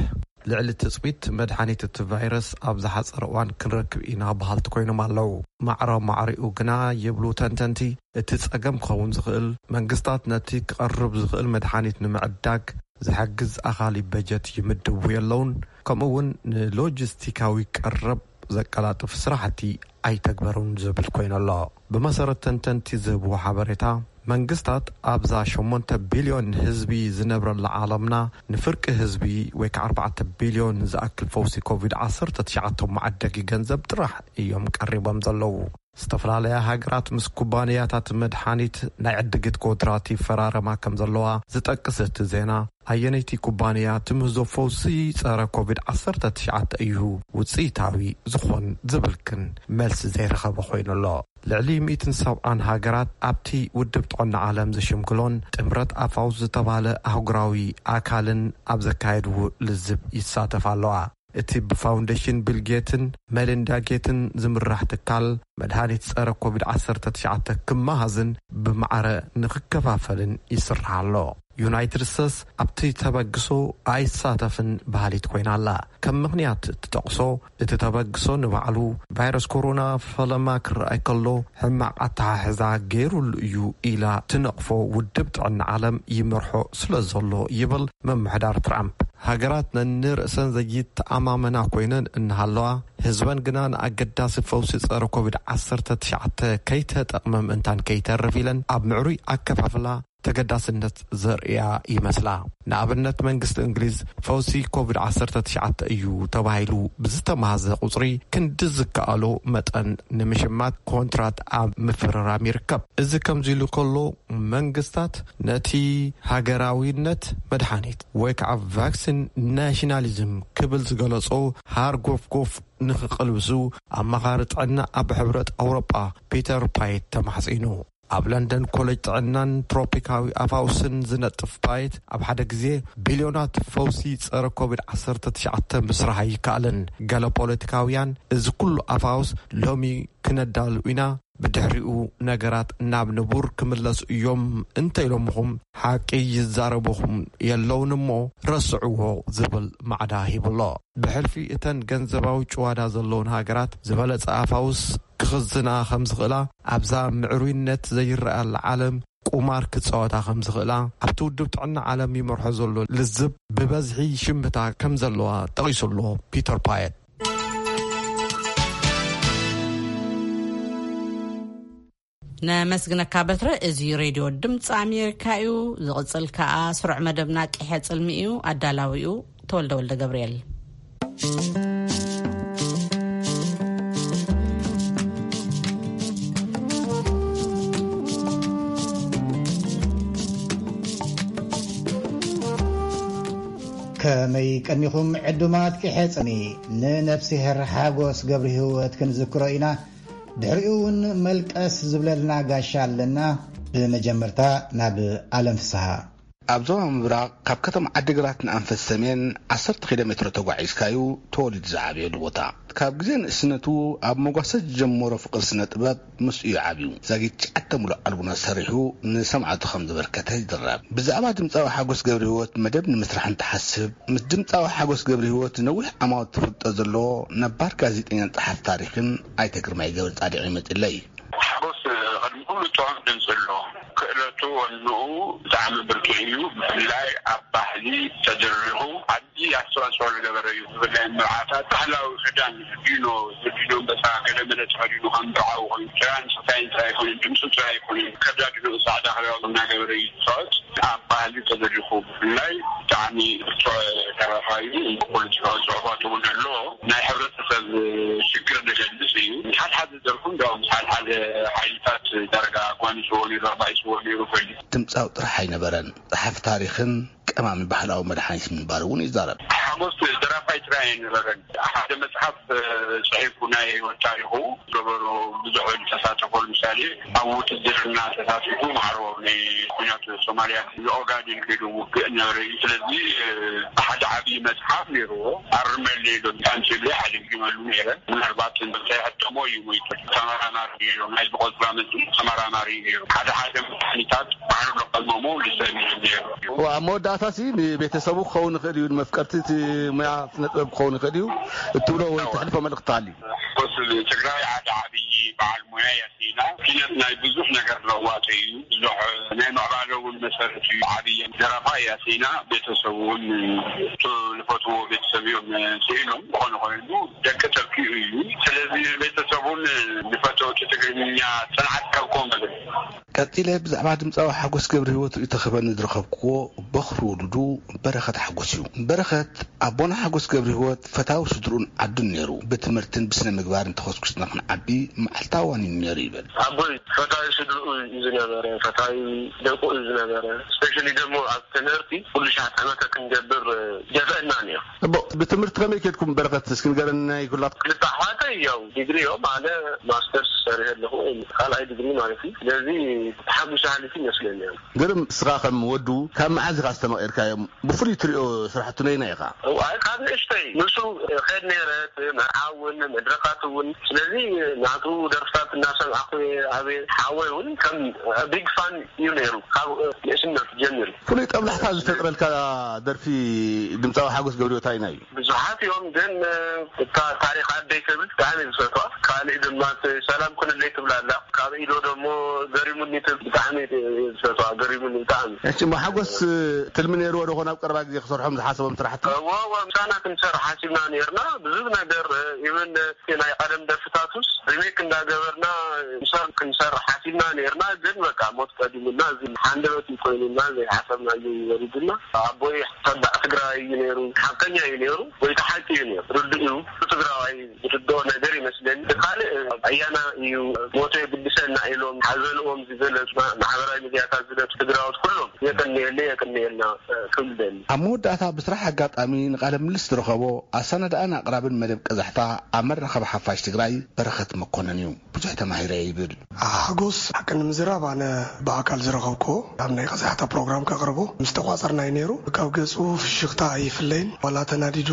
ልዕሊ ትፅቢት መድሓኒት እቲ ቫይረስ ኣብ ዝሓፀረ እዋን ክንረክብ ኢና በሃልቲ ኮይኖም ኣለዉ። ማዕረ ማዕሪኡ ግና ይብሉ ተንተንቲ፣ እቲ ፀገም ክኸውን ዝኽእል መንግስታት ነቲ ክቐርብ ዝኽእል መድሓኒት ንምዕዳግ ዝሕግዝ ኣኻሊ በጀት ይምድቡ የለውን፣ ከምኡ እውን ንሎጂስቲካዊ ቀረብ ዘቀላጥፍ ስራሕቲ ኣይተግበሩን ዝብል ኮይኑ ኣሎ። ብመሰረት ተንተንቲ ዝህብዎ ሓበሬታ፣ መንግስታት ኣብዛ ሸሞንተ ቢልዮን ህዝቢ ዝነብረላ ዓለምና ንፍርቂ ህዝቢ ወይ ከዓ ኣርባዕተ ቢልዮን ዝኣክል ፈውሲ ኮቪድ ዓሰርተ ትሽዓተ መዓደጊ ገንዘብ ጥራሕ እዮም ቀሪቦም ዘለዉ። ዝተፈላለያ ሃገራት ምስ ኩባንያታት መድሓኒት ናይ ዕድጊት ኮንትራት ይፈራረማ ከም ዘለዋ ዝጠቅስ እቲ ዜና፣ ኣየነይቲ ኩባንያ ትምህዞ ፈውሲ ጸረ ኮቪድ ዓሰርተ ትሽዓተ እዩ ውጽኢታዊ ዝኾን ዝብል ግን መልሲ ዘይረኸበ ኮይኑ ኣሎ። ልዕሊ ሚእትን ሰብዓን ሃገራት ኣብቲ ውድብ ጥዕና ዓለም ዝሽምግሎን ጥምረት ኣፋውስ ዝተባህለ ኣህጉራዊ ኣካልን ኣብ ዘካየድዎ ልዝብ ይሳተፋ ኣለዋ። እቲ ብፋውንዴሽን ቢል ጌትን መሊንዳ ጌትን ዝምራሕ ትካል መድሃኒት ጸረ ኮቪድ ዓሰርተ ትሽዓተ ክመሃዝን ብማዕረ ንክከፋፈልን ይስራሕ ኣሎ። ዩናይትድ ስቴትስ ኣብቲ ተበግሶ ኣይሳተፍን በሃሊት ኮይና ኣላ። ከም ምኽንያት እትጠቕሶ፣ እቲ ተበግሶ ንባዕሉ ቫይረስ ኮሮና ፈለማ ክረኣይ ከሎ ሕማቕ ኣተሓሕዛ ገይሩሉ እዩ ኢላ ትነቕፎ ውድብ ጥዕና ዓለም ይመርሖ ስለ ዘሎ ይብል ምምሕዳር ትራምፕ። ሃገራት ነንርእሰን ዘይተኣማመና ኮይነን እናሃለዋ፣ ህዝበን ግና ንኣገዳሲ ፈውሲ ጸረ ኮቪድ ዓሰርተ ትሽዓተ ከይተጠቕመ ምእንታን ከይተርፍ ኢለን ኣብ ምዕሩይ ኣከፋፍላ ተገዳስነት ዘርእያ ይመስላ። ንኣብነት መንግስቲ እንግሊዝ ፈውሲ ኮቪድ ዓሰርተ ትሽዓተ እዩ ተባሂሉ ብዝተማሃዘ ቁጽሪ ክንዲ ዝከኣሎ መጠን ንምሽማት ኮንትራት ኣብ ምፍርራም ይርከብ። እዚ ከምዚ ኢሉ ከሎ መንግስታት ነቲ ሃገራዊነት መድሓኒት ወይ ከዓ ቫክሲን ናሽናሊዝም ክብል ዝገለጾ ሃርጎፍጎፍ ንክቕልብሱ ኣማኻሪ ጥዕና ኣብ ሕብረት ኣውሮጳ ፒተር ፓየት ተማሕጺኑ። ኣብ ለንደን ኮሌጅ ጥዕናን ትሮፒካዊ ኣፋውስን ዝነጥፍ ፓየት ኣብ ሓደ ግዜ ቢልዮናት ፈውሲ ጸረ ኮቪድ ዓሰርተ ትሽዓተ ምስራሕ ኣይከኣልን። ገለ ፖለቲካውያን እዚ ኩሉ ኣፋውስ ሎሚ ክነዳሉ ኢና፣ ብድሕሪኡ ነገራት ናብ ንቡር ክምለሱ እዮም እንተኢሎምኹም ሓቂ ይዛረቡኹም የለውን እሞ ረስዕዎ ዝብል ማዕዳ ሂቡ ኣሎ። ብሕልፊ እተን ገንዘባዊ ጭዋዳ ዘለውን ሃገራት ዝበለጸ ኣፋውስ ክኽዝና ከም ዝኽእላ ኣብዛ ምዕሩይነት ዘይረኣየላ ዓለም ቁማር ክጻወታ ከም ዝኽእላ ኣብቲ ውድብ ጥዕና ዓለም ይመርሖ ዘሎ ልዝብ ብበዝሒ ሽምታ ከም ዘለዋ ጠቒሱ ኣሎ ፒተር ፓየት። ነመስግነካ በትረ። እዚ ሬድዮ ድምፂ ኣሜሪካ እዩ። ዝቕፅል ከኣ ስሩዕ መደብና ቅሐ ፅልሚ እዩ። ኣዳላዊኡ ተወልደ ወልደ ገብርኤል። ከመይ ቀኒኹም ዕዱማት ቅሐ ፅልሚ? ንነፍስሄር ሓጎስ ገብሪ ህይወት ክንዝክሮ ኢና። ድሕሪኡ እውን መልቀስ ዝብለልና ጋሻ ኣለና። ብመጀመርታ ናብ ኣለም ፍስሃ። ኣብ ዞባ ምብራቕ ካብ ከተማ ዓዲግራት ንኣንፈት ሰሜን ዓሰርተ ኪሎ ሜትሮ ተጓዒዝካዩ ተወሊዱ ዝዓበየሉ ቦታ። ካብ ግዜ ንእስነቱ ኣብ መጓሰ ዝጀመሮ ፍቕሪ ስነ ጥበብ ምስኡ እዩ ዓብዩ። ዛጊት ትሽዓተ ሙሉእ ኣልቡማት ሰሪሑ ንሰማዕቱ ከም ዘበርከተ ይዝረብ። ብዛዕባ ድምፃዊ ሓጎስ ገብረ ህይወት መደብ ንምስራሕ እንትሓስብ ምስ ድምፃዊ ሓጎስ ገብረ ህይወት ነዊሕ ዓማውት ትፍልጦ ዘለዎ ነባር ጋዜጠኛን ጸሓፊ ታሪኽን ኣይተ ግርማይ ገብረ ጻድቕ ይመፅለይ። ሓጎስ ቅድሚ ኩሉ ጥዑም ድምፂ ኣለዎ። ክእለቱ ወንኡ ብጣዕሚ ብርቱዕ እዩ። ብፍላይ ኣብ ባህሊ ተደሪኹ ዓቢ ኣስተዋፅኦ ዝገበረ እዩ። ብፍላይ መርዓታት ባህላዊ ክዳን ዲኖ፣ ዲኖ ኣንበሳ ገለ መለ ተኸዲኑ ከም መርዓዊ ኮይኑ ጥራይ ንስታይ ጥራይ ኣይኮነን፣ ድምፁ ጥራይ ኣይኮነን፣ ከዳድንኡ ፃዕዳ ክዳን እናገበረ እዩ ዝፃወት። ኣብ ባህሊ ተደሪኹ ብፍላይ ብጣዕሚ ብርቱዕ ደራፋይ እዩ። ፖለቲካዊ ፅሑፋት እውን ኣለዎ። ናይ ሕብረተሰብ ሽግር ዝገልፅ እዩ። ሓድሓደ ደርፉ እንዲያውም ምስ ሓድሓደ ሓይልታት ዳርጋ ኣጓኒፅዎ ነይሩ፣ ኣባኢስዎ ነይሩ ኮይኑ። ድምፃዊ ጥራሕ ኣይነበረን፣ ጸሓፊ ታሪኽን ተማሚ ባህላዊ መድሓኒት ምንባሩ እውን ይዛረብ። ሓጎስ ደራፋይ ጥራይ ኣይነበረን። ሓደ መጽሓፍ ጽሒፉ ናይ ህይወት ታሪኹ ዝገበሮ ብዙሕ ተሳተፎ። ንምሳሌ ኣብ ውትድርና ተሳቲፉ ማዕሮ ናይ ኩናት ሶማልያ ንኦጋዴን ከይዱ ውግእ ነበረ እዩ። ስለዚ ሓደ ዓብዪ መጽሓፍ ነይርዎ። ኣርመለይ ዶ ታንችብለይ ሓደጊመሉ ነይረ። ምናልባት እንተይሕተሞ እዩ ሞይቱ። ተመራማሪ ነይሩ። ናይ ዝቆጽራ መጽ ተመራማሪ ነይሩ። ሓደ ሓደ መድሓኒታት ባዕሉ ለቀመሙ ልሰብ እዩ ነይሩ። ኣብ መወዳእታ ሲ ንቤተሰቡ ክኸውን ይኽእል እዩ፣ ንመፍቀርቲ እቲ ሙያ ስነ ጥበብ ክኸውን ይኽእል እዩ እትብሎ ወይ ትሕልፎ መልእኽቲ ኣሎ። ሓጎስ ትግራይ ሓደ ዓብዪ በዓል ሞያ እያ። ኢና ኪነት ናይ ብዙሕ ነገር ለዋጢ እዩ። ብዙሕ ናይ ምዕባለ እውን መሰረት እዩ። ዓብየ ደራፋ እያ። ሲና ቤተሰቡ እውን እቱ ዝፈትዎ ቤተሰብ እዮም ስኢኖም። ዝኾነ ኮይኑ ደቂ ተኪኡ እዩ። ስለዚ ቤተሰቡን ንፈተውቲ ትግርኛ ጽንዓት ካብ ኮመ ቀጺለ ብዛዕባ ድምጻዊ ሓጎስ ገብረ ህይወት ርእይቶ ክህበኒ ዝረኸብክዎ በኽሪ ወሉዱ በረኸት ሓጎስ እዩ። በረኸት ኣቦና ሓጎስ ገብረ ህይወት ፈታዊ ስድርኡን ዓዱን ነይሩ። ብትምህርትን ብስነ ምግባርን ተኾስኩስና ክንዓቢ መዓልታዊ ዋኒኑ ነይሩ ይብል። ኣቦይ ፈታዊ ስድርኡ እዩ ዝነበረ፣ ፈታዊ ደቁ እዩ ዝነበረ። ስፔሻሊ ደግሞ ኣብ ትምህርቲ ኩሉ ሻዕ ጠመተ ክንገብር ጀፍአና ነይሩ። እቦ፣ ብትምህርቲ ከመይ ከድኩም በረኸት እስኪ ንገረኒ ናይ ኩላ። ክልተ ኣሕዋተይ ያው ዲግሪ እዮም፣ ኣነ ማስተርስ ሰሪሐ ኣለኹ፣ ካልኣይ ዲግሪ ማለት እዩ። ስለዚ ተሓጒሰ ሓሊፉ ይመስለኒ። ግርም፣ እስኻ ከም ወዱ ካብ መዓዝ ኢኻ ኣስተማቒርካዮም? ብፍሉይ ትሪኦ ስራሕቱ ነይናይ ኢኻ? እዋይ፣ ካብ ንእሽተይ ንሱ ኸድ ነይረ፣ መርዓ እውን መድረኻት እውን። ስለዚ ናቱ ደርፍታት እናሰማዕኩ ዓብየ። ሓወይ እውን ከም ቢግ ፋን እዩ ነይሩ ካብ ንእስነቱ ጀሚሩ። ፍሉይ ጠብላሕታ ዝፈጥረልካ ደርፊ ድምፃዊ ሓጎስ ገብሪዮ እንታይ ናይ እዩ? ብዙሓት እዮም፣ ግን እታ ታሪኽ ኣደይ ትብል ብጣዕሚ ዝፈትዋ። ካልእ ድማ እቲ ሰላም ኩንለይ ትብል ኣላ። ካብ ኢዶ ደሞ ገሪሙኒ ትብል ብጣዕሚ ዝፈትዋ፣ ገሪሙኒ ብጣዕሚ። እሺ፣ እሞ ሓጎስ ትልሚ ነይርዎ ዶ ኾን ኣብ ቀረባ ግዜ ክሰርሖም ዝሓሰቦም ስራሕቲ? እዎ፣ እዎ፣ ምሳና ክንሰርሕ ሓሲብና ነይርና። ብዙሕ ነገር፣ ኢቨን እቲ ናይ ቀደም ደርፍታቱስ ሪሜክ እንዳገበርና ምሳን ክንሰርሕ ሓሲብና ነይርና። ግን በቃ ሞት ቀዲሙና፣ እዚ ሓንደበት እዩ ኮይኑና፣ ዘይሓሰብናዮ እዩ ወሪዱና። ኣቦይ ተባዕ ትግራይ እዩ ነይሩ፣ ሓቀኛ እዩ ነይሩ፣ ወይ ተሓቂ እዩ ነይሩ፣ ርዱእ እዩ። ትግራዋይ ዝርድኦ ነገር ይመስለኒ። ካልእ ኣያና እዩ ሞቶ የግድሰና ኢሎም ሓዘንኦም ዝገለጹ ማሕበራዊ ሚዲያታት ዝለጡ ትግራዎት ኩሎም የቀንየለይ፣ የቀንየልና ክብል ደሊ። ኣብ መወዳእታ ብስራሕ ኣጋጣሚ ንቃለ ምልልስ ዝረኸቦ ኣሰናዳእን ኣቕራብን መደብ ቀዛሕታ ኣብ መራኸቢ ሓፋሽ ትግራይ በረኸት መኮነን እዩ። ብዙሕ ተማሂረ ይብል። ሓጎስ ሓቂ ንምዝራብ ኣነ ብኣካል ዝረኸብክዎ ኣብ ናይ ቀዛሕታ ፕሮግራም ከቕርቦ ምስ ተቋጸርና እዩ ነይሩ። ካብ ገጹ ፍሽኽታ ኣይፍለይን። ዋላ ተናዲዱ፣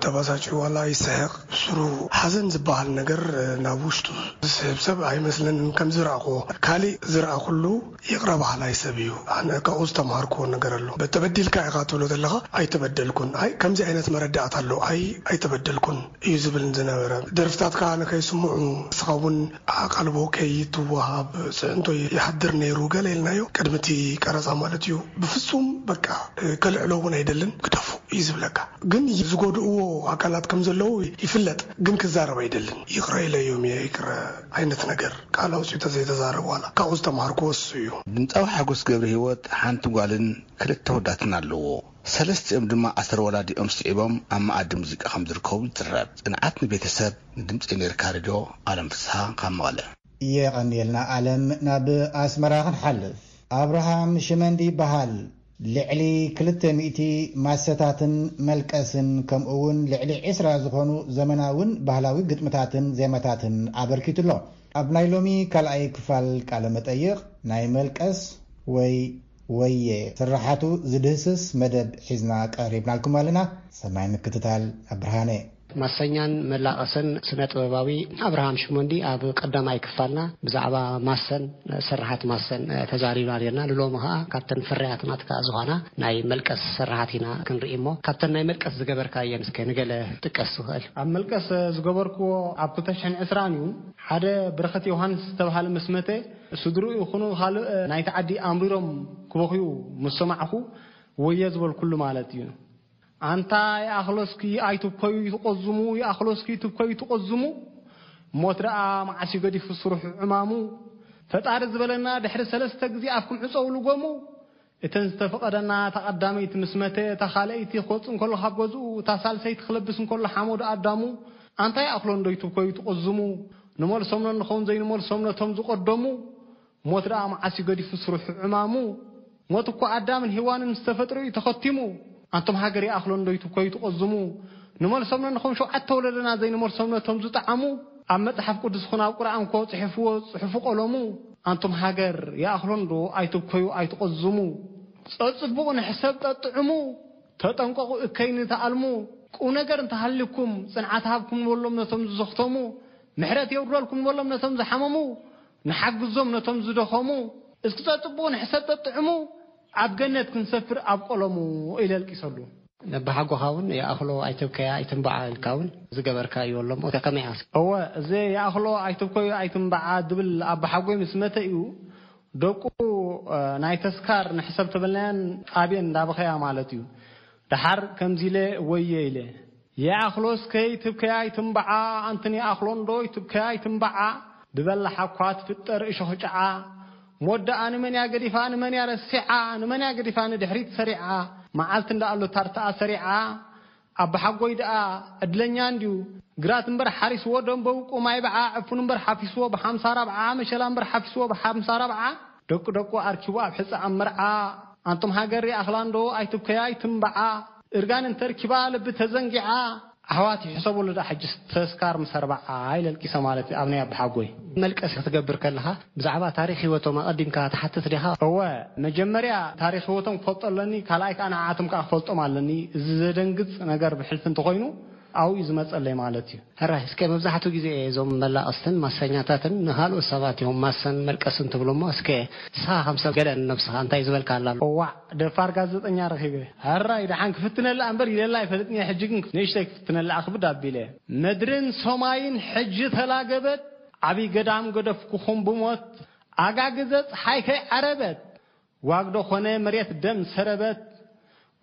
ተባሳጭ ዋላ ይስሕቕ፣ ስሩ ሓዘን ዝበሃል ነገር ናብ ውሽጡ ዝስሕብ ሰብ ኣይመስለንን ከም ዝረኣኽዎ። ካሊእ ዝረኣኹሉ ይቕረ በሃላይ ሰብ እዩ። ኣነ ካብኡ ዝተምሃርክዎ ነገር ኣሎ። ተበዲልካ ኢኻ ትብሎ ዘለኻ፣ ኣይተበደልኩን። ኣይ ከምዚ ዓይነት መረዳእታ ኣሎ፣ ኣይ ኣይተበደልኩን እዩ ዝብል ዝነበረ። ደርፍታትካ ንከይስምዑ፣ ንስኻ እውን ኣቓልቦ ከይትወሃብ፣ ጽዕንቶ ይሓድር ነይሩ፣ ገለ ኢልናዮ። ቅድሚ እቲ ቀረጻ ማለት እዩ። ብፍጹም በቃ ከልዕሎ እውን ኣይደልን፣ ግደፉ እዩ ዝብለካ። ግን ዝጎድእዎ ኣካላት ከም ዘለዉ ይፍለጥ፣ ግን ክዛረብ ኣይደልን። ይቕረ ኢለዮም እየ፣ ይቕረ ዓይነት ነገር ቃል ኣውጺኡ ተዘይተዛረብ ዋላ። ካብኡ ዝተምሃርክዎ እሱ እዩ። ድምጻዊ ሓጎስ ገብረ ህይወት ሓንቲ ጓልን ክልተ ወዳትን ኣለዎ። ሰለስቲኦም ድማ ኣሰር ወላዲኦም ስዒቦም ኣብ መኣዲ ሙዚቃ ከም ዝርከቡ ይዝረብ። ጽንዓት ንቤተሰብ። ንድምጺ ኣሜሪካ ሬድዮ ኣለም ፍስሃ ካብ መቐለ። የቐንየልና ኣለም። ናብ ኣስመራ ክንሓልፍ። ኣብርሃም ሽመንዲ ይበሃል። ልዕሊ ክልተ ሚእቲ ማሰታትን መልቀስን ከምኡ እውን ልዕሊ ዕስራ ዝኾኑ ዘመናውን ባህላዊ ግጥምታትን ዜማታትን ኣበርኪቱ ኣሎ። ኣብ ናይ ሎሚ ካልኣይ ክፋል ቃለ መጠይቕ ናይ መልቀስ ወይ ወየ ስርሓቱ ዝድህስስ መደብ ሒዝና ቀሪብናልኩም ኣለና። ሰናይ ምክትታል። ኣብ ብርሃነ። ማሰኛን መላቐስን ስነ ጥበባዊ ኣብርሃም ሽሞንዲ ኣብ ቀዳማይ ክፋልና ብዛዕባ ማሰን ስርሓት ማሰን ተዛሪብና ነርና። ንሎሚ ኸዓ ካብተን ፍርያት ናትካ ዝኾና ናይ መልቀስ ስርሓት ኢና ክንርኢ እሞ ካብተን ናይ መልቀስ ዝገበርካየን እስከ ንገለ ጥቀስ ትኽእል? ኣብ መልቀስ ዝገበርክዎ ኣብ ክልተ ሽሕን ዕስራን እዩ። ሓደ ብረኸት ዮሃንስ ዝተብሃለ ምስ መተ ስድርኡ ይኹኑ ካልእ ናይቲ ዓዲ ኣምሪሮም ክበኽዩ ምስ ሰማዕኹ ወየ ዝበልኩሉ ማለት እዩ። ኣንታ ይኣኽሎስኪ ኣይትብኮዩ ትቆዝሙ፣ ይኣኽሎስኪ ትብኮዩ ትቆዝሙ። ሞት ደኣ መዓስ እዩ ገዲፉ ስርሑ ዕማሙ። ፈጣሪ ዝበለና ድሕሪ ሰለስተ ግዜ ኣፍኩም ዕጸው ልጎሙ። እተን ዝተፈቐደና እታ ቀዳመይቲ ምስ መተ፣ እታ ካልኣይቲ ክወጽእ እንከሎ ካብ ገዝኡ፣ እታ ሳልሰይቲ ክለብስ እንከሎ ሓሞዱ ኣዳሙ። ኣንታ ይኣኽሎ እንዶ ይትብኮዩ ትቆዝሙ። ንመልሶም ነንኸውን ዘይንመልሶም ነቶም ዝቐደሙ። ሞት ደኣ መዓስ እዩ ገዲፉ ስርሑ ዕማሙ። ሞት እኮ ኣዳምን ሄዋንን ዝተፈጥሩ እዩ ተኸቲሙ። ኣንቶም ሃገር ይኣኽሎ እንዶ ይትኮዩ ትቆዝሙ። ንመልሶም ነንኹም ሸውዓተ ወለደና ዘይንመልሶም ነቶም ዝጠዓሙ። ኣብ መጽሓፍ ቅዱስኹን ኣብ ቁርኣንኮ ጽሕፍዎ ጽሑፉ ቀለሙ። ኣንቶም ሃገር ይኣኽሎ እንዶ ኣይትብከዩ ኣይትቆዝሙ። ጸጽቡቑ ንሕሰብ ጠጥዕሙ። ተጠንቀቑ እከይኒ ተኣልሙ። ቁም ነገር እንተሃልዩኩም ጽንዓት ሃብኩም ንበሎም ነቶም ዝዘኽተሙ። ምሕረት የውርደልኩም ንበሎም ነቶም ዝሓመሙ። ንሓግዞም ነቶም ዝደኸሙ። እስኪ ጸጽቡቑ ንሕሰብ ጠጥዕሙ። ኣብ ገነት ክንሰፍር ኣብ ቀለሙ። ኢለ ኣልቂሰሉ። ነባሓጎኻ እውን ይኣኽሎ ኣይትብከያ ኣይትንባዓ ኢልካ እውን ዝገበርካ እዩ ኣሎ እሞ ከመይ ኢኻ? እወ፣ እዚ ይኣኽሎ ኣይትብከዩ ኣይትንባዓ ዝብል ኣባሓጎይ ምስ መተ እዩ ደቁ፣ እ፣ ናይ ተስካር ንሕሰብ ተበልናያን ጣብየን እንዳበኸያ ማለት እዩ። ደሓር ከምዚ ኢለ ወየ ኢለ። ይኣኽሎ እስከ ይትብከያ ኣይትንባዓ፣ ኣንትን ይኣኽሎ እንዶ ይትብከያ ኣይትንባዓ፣ ብበላሓ እኳ ትፍጠር እሾኽ ጫዓ። ሞት ደኣ ንመን እያ ገዲፋ ንመን እያ ረሲዓ፣ ንመን እያ ገዲፋ ንድሕሪት ሰሪዓ፣ መዓልቲ እንዳ ኣሎ ታርትኣ ሰሪዓ። ኣባሓጎይ ደኣ ዕድለኛ እንድዩ፣ ግራት እምበር ሓሪስዎ ደንበውቁ ማይ በዓ፣ ዕፉን እምበር ሓፊስዎ ብሓምሳ ራብዓ፣ መሸላ እምበር ሓፊስዎ ብሓምሳ ራብዓ፣ ደቂ ደቁ ኣርኪቡ ኣብ ሕጻ ኣብ መርዓ። ኣንቱም ሃገር ይኣኽላ እንዶ ኣይትብከያ ኣይትንባዓ፣ እርጋን እንተርኪባ ልቢ ተዘንጊዓ። ኣሕዋት ይሕሰብሉ ደኣ ሕጅስ ተስካር ምስ ኣርባዓ ኢለ ኣልቂሰ ማለት እዩ ኣብ ናይ ኣባሓጎይ። መልቀስ ክትገብር ከለኻ ብዛዕባ ታሪኽ ህይወቶም ኣቐዲምካ ትሓትት ዲኻ? እወ፣ መጀመርያ ታሪኽ ህይወቶም ክፈልጦ ኣለኒ፣ ካልኣይ ከኣ ንዓኣቶም ከኣ ክፈልጦም ኣለኒ። እዚ ዘደንግጽ ነገር ብሕልፊ እንተኾይኑ ኣብኡ እዩ ዝመጸለይ ማለት እዩ። ሕራይ፣ እስከ መብዛሕትኡ ግዜ እዞም መላቐስትን ማሰኛታትን ንኻልኦት ሰባት እዮም ማሰን መልቀስን ትብሉ እሞ፣ እስከ ንስኻ ከም ሰብ ገለ ንነብስኻ እንታይ ዝበልካ ኣላ ኣሎ? እዋዕ፣ ደፋር ጋዜጠኛ ረኺበ። ሕራይ፣ ደሓን ክፍትነላ እምበር ኢለላ ኣይፈልጥን እየ። ሕጂ ግን ንእሽተይ ክፍትነላ ክብድ ኣቢለ። ምድርን ሰማይን ሕጂ ተላገበት፣ ዓብዪ ገዳም ገደፍኩኹም ብሞት፣ ኣጋግዘ ፀሓይ ከይዓረበት፣ ዋግዶ ኮነ መሬት ደም ሰረበት፣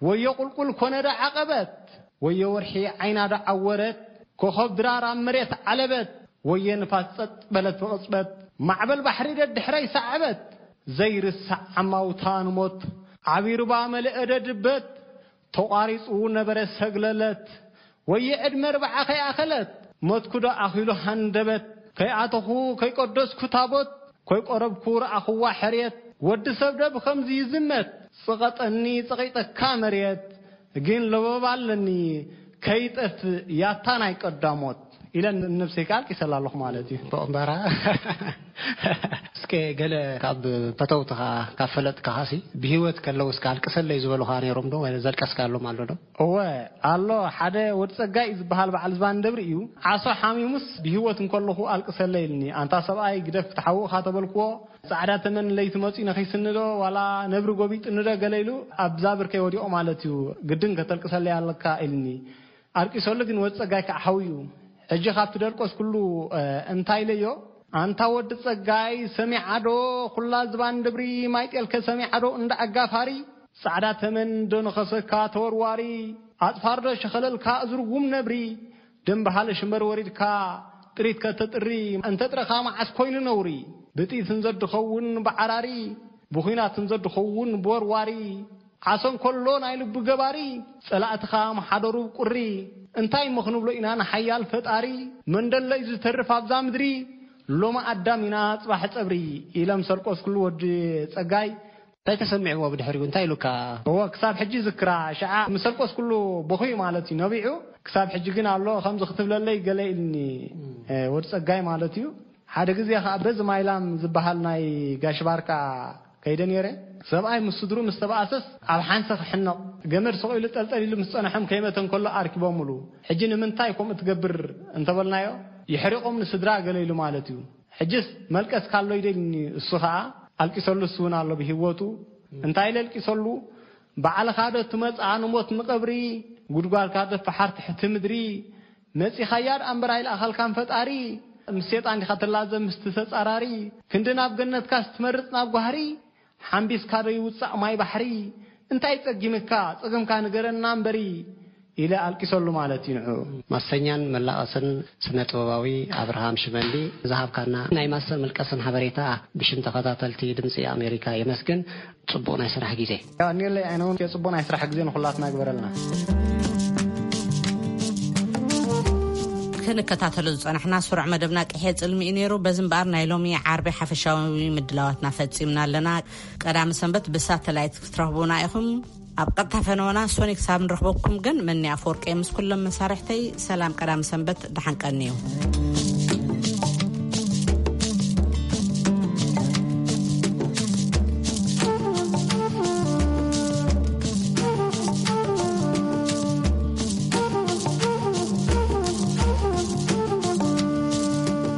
ወዮ ቁልቁል ኮነ ዶ ዓቐበት፣ ወዮ ወርሒ ዓይና ዶ ዓወረት፣ ኮኸብ ድራር ኣብ መሬት ዓለበት፣ ወየ ንፋስ ጸጥ በለት ብቕጽበት፣ ማዕበል ባሕሪ ደድሕረይ ሰዓበት፣ ዘይርሳዕ ዓማውታ ንሞት፣ ዓቢ ሩባ መልአ ደድበት፣ ተቋሪጹ ነበረ ሰግለለት፣ ወየ ዕድመ ርብዓ ከይኣኸለት፣ ሞትኩ ዶ ኣኺሉ ሃንደበት፣ ከይኣተኹ ከይቀደስኩ ታቦት፣ ከይቆረብኩ ረኣኽዋ ሕርየት፣ ወዲ ሰብ ዶ ብኸምዚ ይዝመት፣ ጽቐጠኒ ጸቒጠካ መርየት፣ ግን ለበባ ኣለኒ ከይጠፍእ ያታ ናይ ቀዳሞት፣ ኢለ ንነብሰይ ከኣ ኣልቂሰላ ኣለኹ ማለት እዩ። ጽቡቕ እምበራ። እስከ ገለ ካብ ፈተውትኻ፣ ካብ ፈለጥካኻሲ፣ ብህይወት ከለዉ እስከ ኣልቅሰለይ ዝበሉኻ ነይሮም ዶ? ወይ ዘልቀስካሎም ኣሎ ዶ? እወ፣ ኣሎ። ሓደ ወዲ ጸጋይ እዩ ዝበሃል በዓል ዝባን ደብሪ እዩ። ዓሶ ሓሚሙስ ብህይወት እንከለኹ ኣልቅሰለይ ኢልኒ። ኣንታ ሰብኣይ ግደፍ ክትሓውቕ ኢኻ ተበልክዎ፣ ጻዕዳ ተመን ለይቲ መጺኡ ነኺስኒ ዶ ዋላ ነብሪ ጎቢጥኒ ዶ ገለ ኢሉ ኣብዛ ብርከይ ወዲቑ ማለት እዩ። ግድን ከተልቅሰለይ ኣለካ ኢልኒ። ኣልቂሰሉ ግን ወዲ ጸጋይ ከዓ ሓውዩ። ሕጂ ካብ ትደልቆስ ኩሉ፣ እ፣ እንታይ ኢለዮ? ኣንታ ወዲ ጸጋይ ሰሚዓ ዶ ኩላ ዝባን ደብሪ ማይ ጤልከ ሰሚዓ ዶ እንዳ ኣጋፋሪ? ጻዕዳ ተመን ዶ ነኸሰካ ተወርዋሪ? ኣጽፋር ዶ ሸኸለልካ እዝርጉም ነብሪ? ደም በሃለ ሽምበር ወሪድካ ጥሪት ከተጥሪ፣ እንተ ጥረኻ መዓስ ኮይኑ ነውሪ? ብጥይት እንዘ ድኸውን ብዓራሪ፣ ብኹናት እንዘ ድኸውን ብወርዋሪ፣ ዓሶ እንከሎ ናይ ልቡ ገባሪ፣ ጸላእትኻ ምሓደሩ ቁሪ። እንታይ እሞ ክንብሎ ኢና ንሓያል ፈጣሪ? መንደለይ ዝተርፍ ኣብዛ ምድሪ፣ ሎሚ ኣዳም ኢና ጽባሕ ጸብሪ። ኢለ ምስ ኣልቆስኩሉ ወዲ ጸጋይ እንታይ ተሰሚዕዎ ብድሕሪኡ? እንታይ ኢሉካ? እወ፣ ክሳብ ሕጂ ይዝክራ። ሽዓ ምስ ኣልቆስኩሉ በኹዩ ማለት እዩ ነቢዑ። ክሳብ ሕጂ ግን ኣሎ፣ ከምዚ ክትብለለይ ገለ ኢልኒ፣ እ፣ ወዲ ጸጋይ ማለት እዩ። ሓደ ግዜ ኸኣ በዚ ማይላም ዝበሃል ናይ ጋሽ ባርካ ከይደ ነይረ። ሰብኣይ ምስ ስድሩ ምስ ተባኣሰስ ኣብ ሓንሰ ክሕነቕ፣ ገመድ ሰቕ ኢሉ ጠልጠል ኢሉ ምስ ጸንሖም ከይመተ እንከሎ ኣርኪቦምሉ። ሕጂ ንምንታይ ከምኡ ትገብር እንተበልናዮ፣ የሕሪቖም ንስድራ ገለ ኢሉ ማለት እዩ። ሕጅስ መልቀስካ ኣሎ ይደልኒ፣ እሱ ኸኣ ኣልቂሰሉ፣ እሱ እውን ኣሎ ብህይወቱ። እንታይ ኢለ ኣልቂሰሉ? ባዕልኻ ዶ ትመጽኣ ንሞት ንቐብሪ? ጉድጓድካ ዶ ፈሓር ትሕቲ ምድሪ? መጺኻያ ደኣ እምበር ኣይለኣኸልካን ፈጣሪ። ምስ ሴጣን ዲኻ ትላዘብ ምስቲ ተጻራሪ? ክንዲ ናብ ገነትካስ ትመርጽ ናብ ጓህሪ? ሓምቢስካ ዶ ይውጻእ ማይ ባሕሪ? እንታይ ጸጊምካ? ጸገምካ ንገረና እምበሪ። ኢለ ኣልቂሰሉ ማለት እዩ ንዕኡ። ማሰኛን መላቐስን ስነ ጥበባዊ ኣብርሃም ሽመንዲ ዝሃብካና ናይ ማሰን ምልቀስን ሓበሬታ ብሽም ተኸታተልቲ ድምጺ ኣሜሪካ የመስግን። ጽቡቕ ናይ ስራሕ ግዜ። ያው፣ እኔለይ ኣይነውን፣ የጽቡቕ ናይ ስራሕ ግዜ ንኹላትና ግበረልና። ክንከታተሎ ዝጸናሕና ስሩዕ መደብና ቅሔ ጽልሚ እዩ ነይሩ። በዚ እምበኣር ናይ ሎሚ ዓርቢ ሓፈሻዊ ምድላዋትና ፈጺምና ኣለና። ቀዳሚ ሰንበት ብሳተላይት ክትረኽቡና ኢኹም። ኣብ ቀጥታ ፈነወና ሶኒ ክሳብ ንረኽበኩም ግን፣ መኒ ኣፈወርቂ ምስ ኩሎም መሳርሕተይ ሰላም፣ ቀዳሚ ሰንበት ደሓን ቀንዩ።